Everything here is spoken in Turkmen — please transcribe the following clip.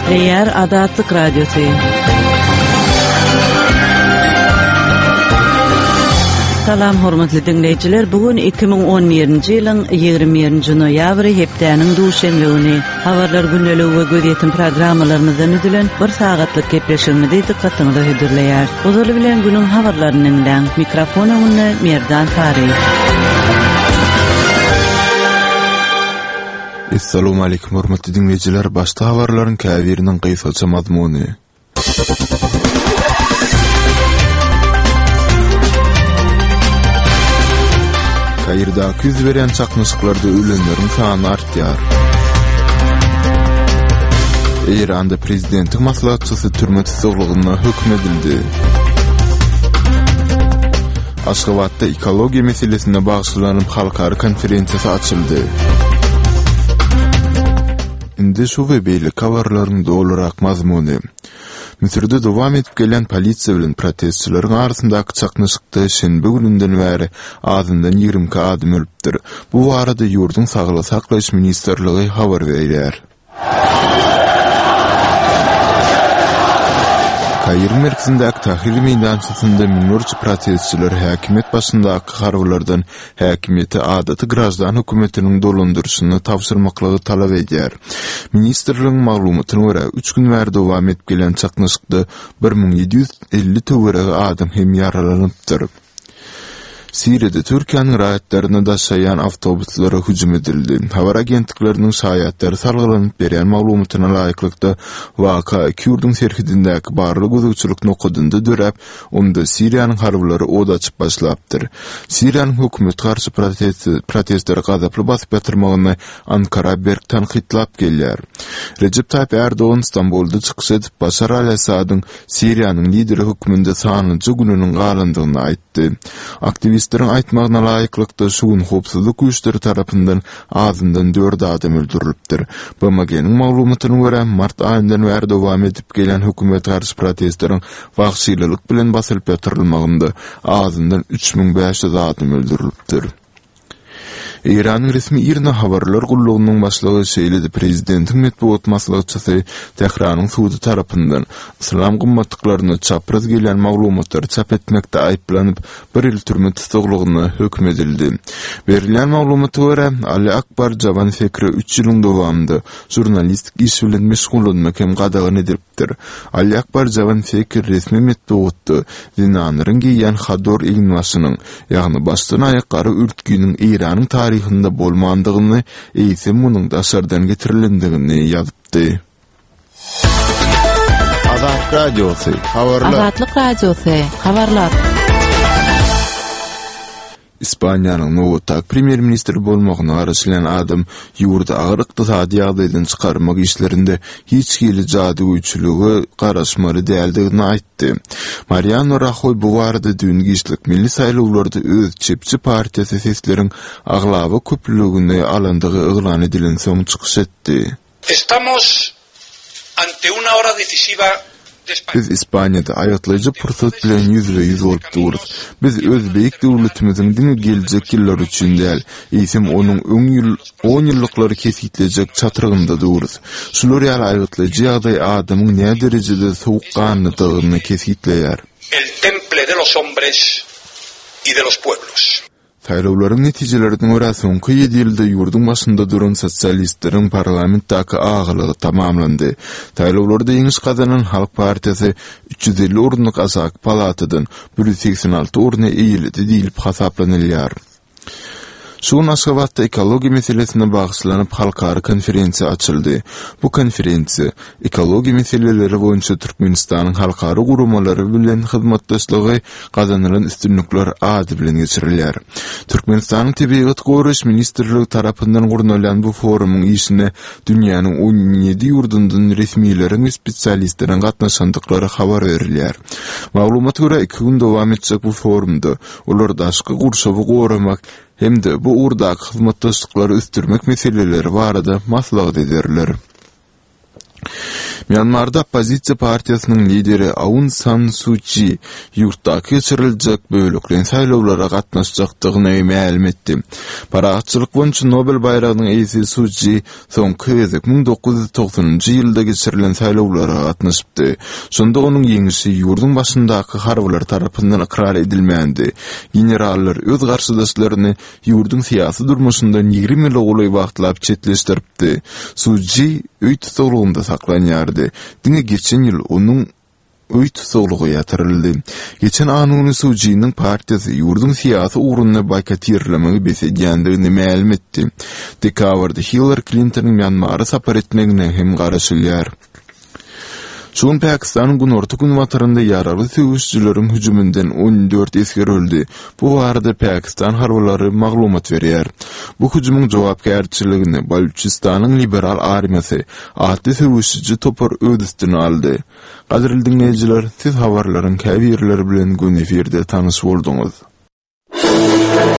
Gepleýär Azatlyk Radiosy. Salam hormatly diňleýjiler, bu gün 2011-nji ýylyň 21-nji noýabry hepdäniň duşenbe güni. Habarlar gündeligi we gözýetim programmalarymyzdan düzülen bir sagatlyk gepleşigimizi dykgatyňyza hödürleýäris. Ozaly bilen günüň habarlaryny diňläň. Mikrofon öňünde Merdan Sary. Essalowmaleýkim hormatly diňleýjiler, başda habarlaryň käbiriniň gysgaça mazmuny. Kairdaky ýüz berýän çaknyşyklarda ölenleriň sany artýar. Eýranda prezidentiň maslahatçysy türme tussaglygyna höküm edildi. Aşgabatda ekologiýa meselesine bagyşlanyp halkara konferensiýasy açyldy. Indi şu we beýleki habarlaryň dolurak mazmuny. Müsürde dowam edip gelýän polisiýa bilen protestçileriň arasyndaky çaknyşykda şenbe gününden bäri azyndan 22 adam ölüpdir. Bu barada ýurduň Saglygy saklaýyş ministrligi habar berýär. Kairiň merkezindäki Tahrir meýdançasynda müňlerçe protestçiler häkimiýet başyndaky harbylardan häkimiýeti adaty graždan hökümetiniň dolandyryşyna tabşyrmaklygy talap edýär. Ministrligiň maglumatyna görä, üç gün bäri dowam edip gelýän çaknyşykda 1750 töweregi adam hem ýaralanypdyr. Siriýada Türkiýäniň raýatlaryny daşaýan awtobuslara hüjüm edildi. Habar agentlikleriniň şaýatlara salgylanyp berýän maglumatyna laýyklykda, waka iki ýurduň serhedindäki barlag-gözegçilik nokadynda döräp, onda Siriýanyň harbylary od açyp başlapdyr. Siriýanyň hökümete garşy protestleri gazaply basyp ýatyrmagyny Ankara berk tankytlap gelýär. Rejep Taýyp Ärdogan Stambulda çykyş edip, Başar al-Assadyň Siriýanyň lideri hökmünde sanlyja gününiň galandygyny aýtdy. Aktiwistleriň aýtmagyna laýyklykda, şu gün howpsuzlyk güýçleri tarapyndan azyndan dört adam öldürilipdir. BMG-niň maglumatyna görä, mart aýyndan bäri dowam edip gelýän hökümete garşy protestleriň wagşylylyk bilen basylyp ýatyrylmagynda azyndan 3500 adam öldürilipdir. Eýranyň resmi IRNA habarlar gullugynyň başlygy, şeýle-de prezidentiň metbugat maslahatçysy Tähranyň sudy tarapyndan yslam gymmatlyklaryna çapraz gelýän maglumatlary çap etmekde aýyplanyp, bir ýyl türme tussaglygyna höküm edildi. Berilýän maglumata görä, Ali Akbar Jawan Fekre üç ýylyň dowamynda žurnalistik iş bilen meşgullanmak hem gadagan edilipdir. Ýetipdir. Ali Akbar Jawan Fekir resmi metbugatda zenanlaryň geýýän hador eginbaşynyň, ýagny başdan-aýak gara örtginiň Eýranyň taryhynda bolmandygyny, eýsem munuň daşardan getirilendigini ýazypdy. Azatlyk Radiosy, Habarlar. Azatlyk Radiosy, Habarlar. Ispaniýanyň nobatdaky premýer-ministri bolmagyna garaşylýan adam ýurdy agyr ykdysady ýagdaýdan çykarmak işlerinde hiç hili jadygöýçülige garaşmaly däldigini aýtdy. Mariano Rahoý bu barada düýn giçlik milli saýlawlarda öz çepçi partiýasy sesleriň aglaba köplügini alandygy yglan edilensoň çykyş etdi. Estamos ante una hora decisiva de España. Biz Ispaniýada aýgytlaýjy pursat bilen ýüzbe-ýüz bolup durus. Biz öz beýik döwletimiziň diňe geljek ýyllary üçin däl, eýsem onuň öň ýyl on ýyllyklary kesgitlejek çatrygynda durus. Şular ýaly aýgytlaýjy ýagdaý adamyň näderejede sowukganlydygyny kesgitleýär. El temple de los hombres y de los pueblos. Saýlawlaryň netijelerine görä, soňky ýedi ýylda ýurduň başynda duran sosialistleriň parlamentdäki agalygy tamamlandy. Saýlawlarda ýeňiş gazanan Halk partiýasy 350 orunlyk aşaky palatadan 186 orny eýeledi diýlip hasaplanylýar. Şu gün Aşgabatda ekologiýa meselesine bagyşlanyp halkara konferensiýa açyldy. Bu konferensiýa ekologiýa meseleleri boýunça Türkmenistanyň halkara guramalary bilen hyzmatdaşlygy gazanylan üstünlikler ady bilen geçirilýär. Türkmenistanyň Tebigaty goraýyş ministrligi tarapyndan gurnalýan bu forumyň işine dünýäniň 17 ýurdundan resmileriň we spesialistleriň gatnaşandyklary habar berilýär. Maglumata görä, iki gün dowam etjek bu forumda olar daşky gurşawy goramak hem-de bu ugurdaky hyzmatdaşlyklary ösdürmek meseleleri barada maslahat ederler. Mýanmarda oppozisiýa partiýasynyň lideri Aun San Su Çi ýurtdaky geçiriljek bölekleýin saýlawlara gatnaşjakdygyny mälim etdi. Parahatçylyk boýunça Nobel baýragynyň eýesi Su Çi soňky gezek 1990-njy ýylda geçirilen saýlawlara gatnaşypdy. Şonda onuň ýeňişi ýurduň başyndaky harbylar tarapyndan ykrar edilmändi. Generallar öz garşydaşlaryny ýurduň syýasy durmuşyndan 20 ýyla golaý wagtlap çetleşdiripdi. Su Ji öý tussaglygynda saklanýardy. Diňe geçen ýyl onuň öý tussaglygy ýatyryldy. Geçen anna güni Su Jiniň partiýasy ýurduň syýasy ugruny boýkotirlemegi bes edýändigini mälim etdi. Dekabrda Hillari Klintonyň Mýanmara sapar etmegine hem garaşylýar. Şu gün Pakistanyň günorta-günbatarynda ýaragly söweşijileriň hüjüminden 14 esger öldi. Bu barada Pakistan harbylary maglumat berýär. Bu hüjümiň jogapkärçiligini Balüçistanyň liberal armiýasy atly söweşiji topar öz üstüne aldy. Gadyrly diňleýjiler, siz habarlaryň käbirleri bilen göni efirde tanyş bolduňyz.